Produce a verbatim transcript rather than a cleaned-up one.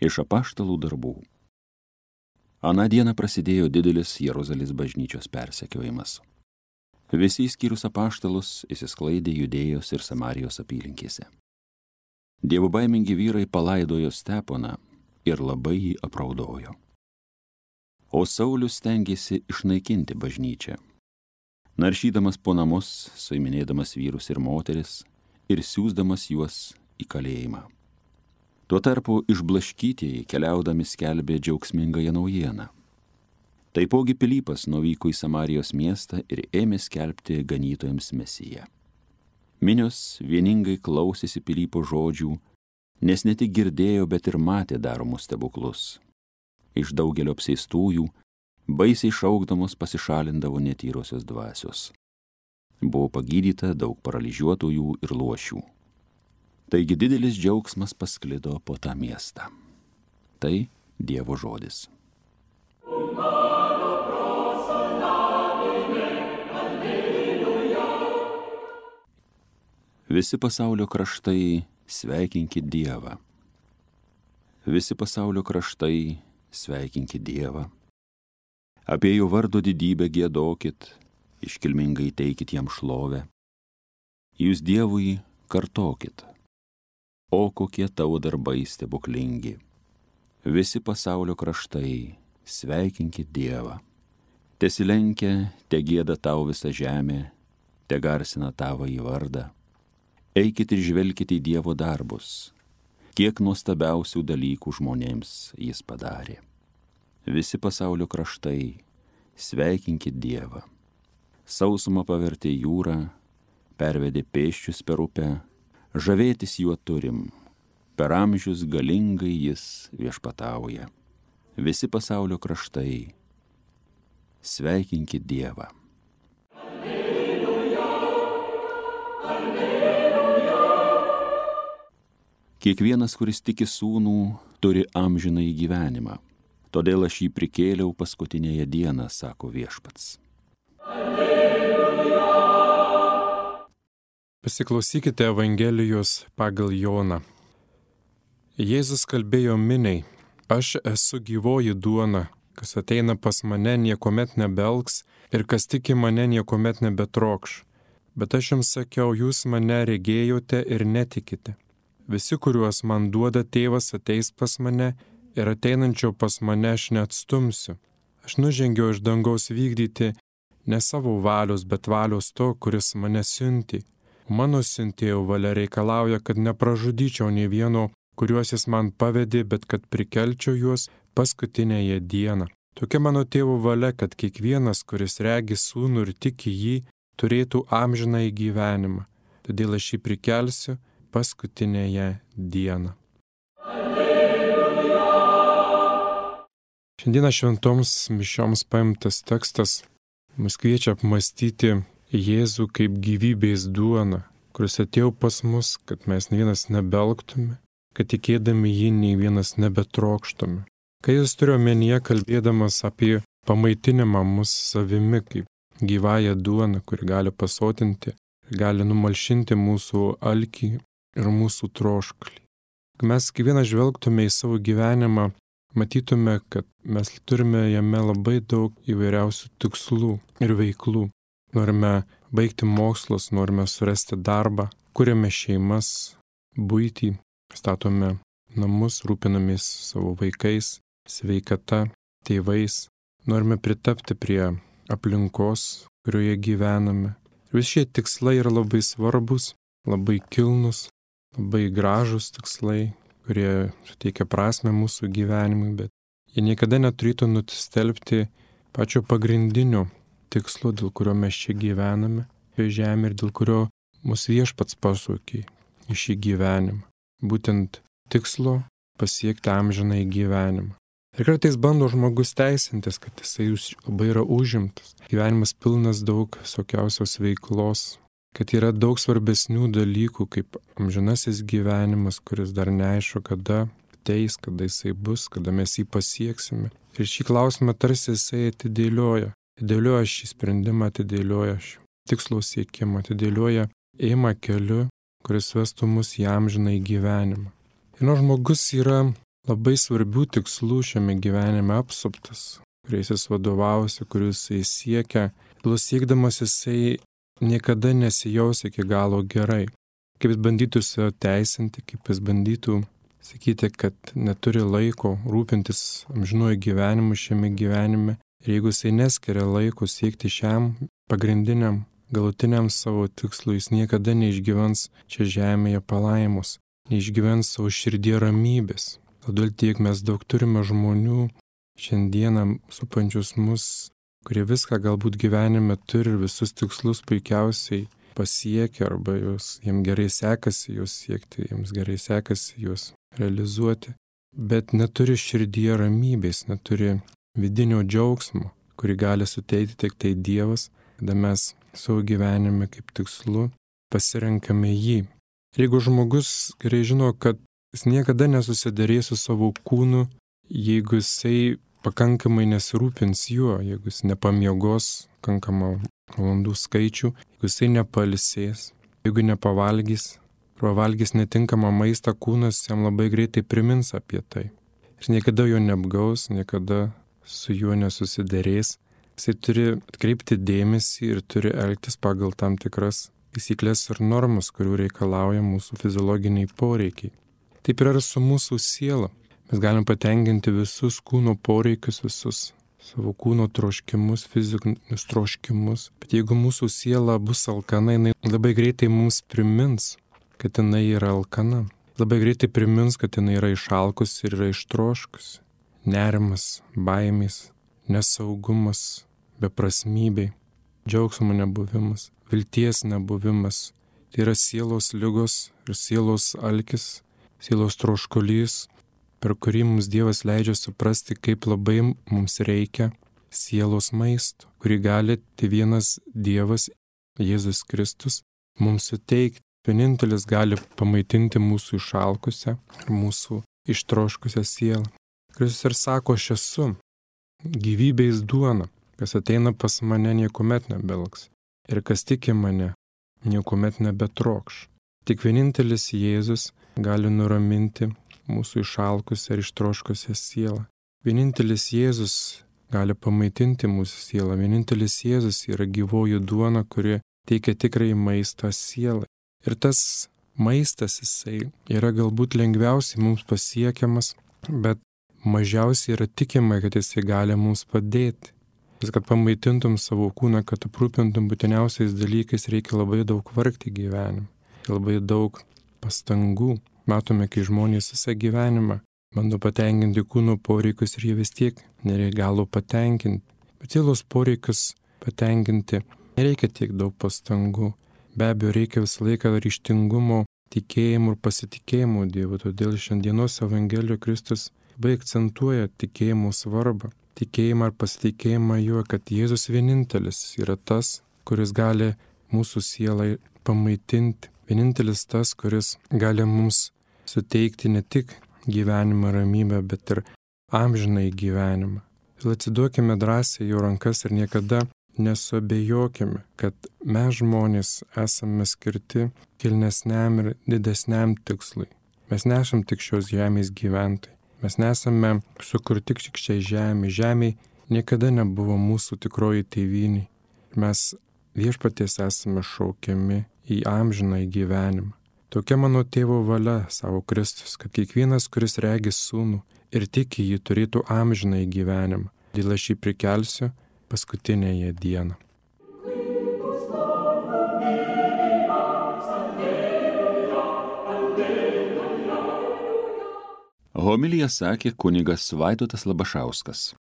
Iš apaštalų darbų. Aną dieną prasidėjo didelis Jeruzalės bažnyčios persekiojimas. Visi išskyrus apaštalus įsisklaidė Judėjos ir Samarijos apylinkėse. Dievobaimingi vyrai palaidojo Steponą ir labai jį apraudojo. O Saulius stengėsi išnaikinti bažnyčią, naršydamas po namus, suiminėdamas vyrus ir moteris ir siųsdamas juos į kalėjimą. Tuo tarpu išblaškytieji keliaudami skelbė džiaugsmingąją naujieną. Taipogi Pilypas nuvyko į Samarijos miestą ir ėmė skelbti ganytojams Mesiją. Minios vieningai klausėsi Pilypo žodžių, nes ne tik girdėjo, bet ir matė daromus stebuklus. Iš daugelio apseistųjų, baisiai šaukdamos pasišalindavo netyrosios dvasios. Buvo pagydyta daug paralyžiuotųjų ir luošių. Taigi didelis džiaugsmas pasklido po tą miestą. Tai Dievo žodis. Visi pasaulio kraštai sveikinkit Dievą. Visi pasaulio kraštai sveikinkit Dievą. Apie jo vardo didybę giedokit, iškilmingai teikit jam šlovę. Jūs Dievui kartokit. O kokie tavo darbai stebuklingi. Visi pasaulio kraštai sveikinkit Dievą. Tesilenkia, te gieda tau visą žemę, te garsina tavo į vardą. Eikit ir žvelkite į Dievo darbus, kiek nuostabiausių dalykų žmonėms jis padarė. Visi pasaulio kraštai sveikinkit Dievą. Sausumą pavertė jūrą, pervedė pėsčius per upę, žavėtis juo turim, per amžius galingai jis viešpatauja. Visi pasaulio kraštai sveikinkit Dievą. Alleluja, alleluja. Kiekvienas, kuris tiki sūnų, turi amžinąjį gyvenimą. Todėl aš jį prikėliau paskutinėje dieną, sako viešpats. Alleluja. Pasiklausykite Evangelijos pagal Joną. Jėzus kalbėjo miniai, aš esu gyvoji duona, kas ateina pas mane niekuomet nebelgs ir kas tiki mane niekuomet nebetrokš. Bet aš jums sakiau, jūs mane regėjote ir netikite. Visi, kuriuos man duoda tėvas, ateis pas mane ir ateinančio pas mane aš neatstumsiu. Aš nužengiau iš dangaus vykdyti ne savo valios, bet valios to, kuris mane siuntė. Mano siuntėjo valia reikalauja, kad nepražudyčiau nei vieno, kuriuos jis man pavedė, bet kad prikelčiau juos paskutinėje dieną. Tokia mano tėvo valia, kad kiekvienas, kuris regi sūnų ir tiki jį, turėtų amžinąjį gyvenimą. Todėl aš jį prikelsiu paskutinėje dieną. Alleluja. Šiandieną šventoms mišioms paimtas tekstas mus kviečia apmąstyti Jėzų kaip gyvybės duona, kuris atėjo pas mus, kad mes nei vienas nebelgtume, kad tikėdami jį nei vienas nebetrokštume. Kai jis turėjo omenyje kalbėdamas apie pamaitinimą mus savimi kaip gyvąją duoną, kuri gali pasotinti, gali numalšinti mūsų alkį ir mūsų troškulį. Kai mes kiekvieną žvelgtume į savo gyvenimą, matytume, kad mes turime jame labai daug įvairiausių tikslų ir veiklų. Norime baigti mokslus, norime surasti darbą, kuriame šeimas, buitį, statome namus, rūpinamės savo vaikais, sveikata, tėvais. Norime pritapti prie aplinkos, kurioje gyvename. Visi šie tikslai yra labai svarbus, labai kilnus, labai gražus tikslai, kurie suteikia prasmę mūsų gyvenimui, bet jie niekada neturėtų nutistelbti pačio pagrindinio tikslo, dėl kurio mes čia gyvename, šioje žemė ir dėl kurio mūsų viešpats pašaukė į šį gyvenimą. Būtent tikslo pasiekti amžinąjį gyvenimą. Ir kartais bando žmogus teisintis, kad jisai labai yra užimtas. Gyvenimas pilnas daug visokiausios veiklos, kad yra daug svarbesnių dalykų, kaip amžinasis gyvenimas, kuris dar neaišku, kada ateis, kada jisai bus, kada mes jį pasieksime. Ir šį klausimą tarsi jisai atidėlioja. Atidėlioja šį sprendimą, atidėlioja šį tikslo siekimą, atidėlioja ėjimą keliu, kuris vestų mus į amžinąjį gyvenimą. Ir nors žmogus yra labai svarbių tikslų šiame gyvenime apsuptas, kuriais jis vadovavosi, kuriuos jis siekia. Dėl siekdamas jisai niekada nesijaus iki galo gerai. Kaip jis bandytų save teisinti, kaip jis bandytų sakyti, kad neturi laiko rūpintis amžinuoju gyvenimu šiame gyvenime. Ir jeigu jisai neskiria laiko siekti šiam pagrindiniam, galutiniam savo tikslui, jis niekada neišgyvens čia žemėje palaimos, neišgyvens savo širdie ramybės. Todėl tiek mes daug turime žmonių šiandieną supančius mus, kurie viską galbūt gyvenime turi ir visus tikslus puikiausiai pasiekia, arba jos, jiems gerai sekasi juos siekti, jiems gerai sekasi juos realizuoti, bet neturi širdie ramybės, neturi vidinio džiaugsmo, kurį gali suteikti tik tai Dievas, kada mes savo gyvenime kaip tikslu pasirenkame jį. Ir jeigu žmogus gerai žino, kad jis niekada nesusidarės su savo kūnu, jeigu jisai pakankamai nesirūpins juo, jeigu jis nepamiegos pakankamą valandų skaičių, jeigu jisai nepailsės, jeigu nepavalgys, arba valgys netinkamą maistą, kūnas jam labai greitai primins apie tai. Ir niekada jo neapgaus, niekada su juo nesusidarės. Jisai turi atkreipti dėmesį ir turi elgtis pagal tam tikras taisyklės ir normas, kurių reikalauja mūsų fiziologiniai poreikiai. Taip yra ir su mūsų siela. Mes galim patenkinti visus kūno poreikius, visus savo kūno troškimus, fizinius troškimus. Bet jeigu mūsų siela bus alkana, jinai labai greitai mums primins, kad jinai yra alkana. Labai greitai primins, kad jinai yra išalkusi ir yra ištroškusi. Nerimas, baimės, nesaugumas, beprasmybė, džiaugsmo nebuvimas, vilties nebuvimas. Tai yra sielos ligos ir sielos alkis, sielos troškulys, per kurį mums Dievas leidžia suprasti, kaip labai mums reikia sielos maisto, kurį gali tai vienas Dievas, Jėzus Kristus, mums suteikti. Vienintelis gali pamaitinti mūsų išalkusią ir mūsų ištroškusią sielą. Kristus ir sako, aš esu gyvybės duona, kas ateina pas mane niekuomet nebelgs ir kas tiki mane niekuomet nebetrokš. Tik vienintelis Jėzus gali nuraminti mūsų išalkusią ir ištroškusią sielą. Vienintelis Jėzus gali pamaitinti mūsų sielą. Vienintelis Jėzus yra gyvoji duona, kuri teikia tikrai maistą sielai. Ir tas maistas, jisai yra galbūt lengviausiai mums pasiekiamas, bet mažiausiai yra tikima, kad jisai gali mums padėti. Vis, kad pamaitintum savo kūną, kad aprūpintum būtiniausiais dalykais, reikia labai daug vargti gyvenime, labai daug pastangų. Matome, kai žmonės visą gyvenimą bando patenkinti kūno poreikius ir jie vis tiek nereikalo patenkinti. Bet sielos poreikius patenkinti nereikia tiek daug pastangų. Be abejo, reikia visą laiką ryžtingumo, tikėjimo ir pasitikėjimo Dievu. Todėl šiandienos Evangelijoje Kristus labai akcentuoja tikėjimo svarbą. Tikėjimą ir pasitikėjimą juo, kad Jėzus vienintelis yra tas, kuris gali mūsų sielai pamaitinti. Vienintelis tas, kuris gali mums suteikti ne tik gyvenimą ramybę, bet ir amžinai gyvenimą. Ir atsiduokime drąsiai jo rankas ir niekada nesuabejokime, kad mes žmonės esame skirti kilnesniam ir didesniam tikslui. Mes nesam tik šios žemės gyventojai. Mes nesame sukurti tik šiai žemė. Žemė niekada nebuvo mūsų tikroji tėvynė. Mes viešpaties esame šaukiami į amžiną gyvenimą. Tokia mano tėvo valia, savo Kristus, kad kiekvienas, kuris regi sūnų ir tiki jį, turėtų amžiną gyvenimą. Dėl aš jį prikelsiu paskutinėje dieną. Homiliją sakė kunigas Vaidotas Labašauskas.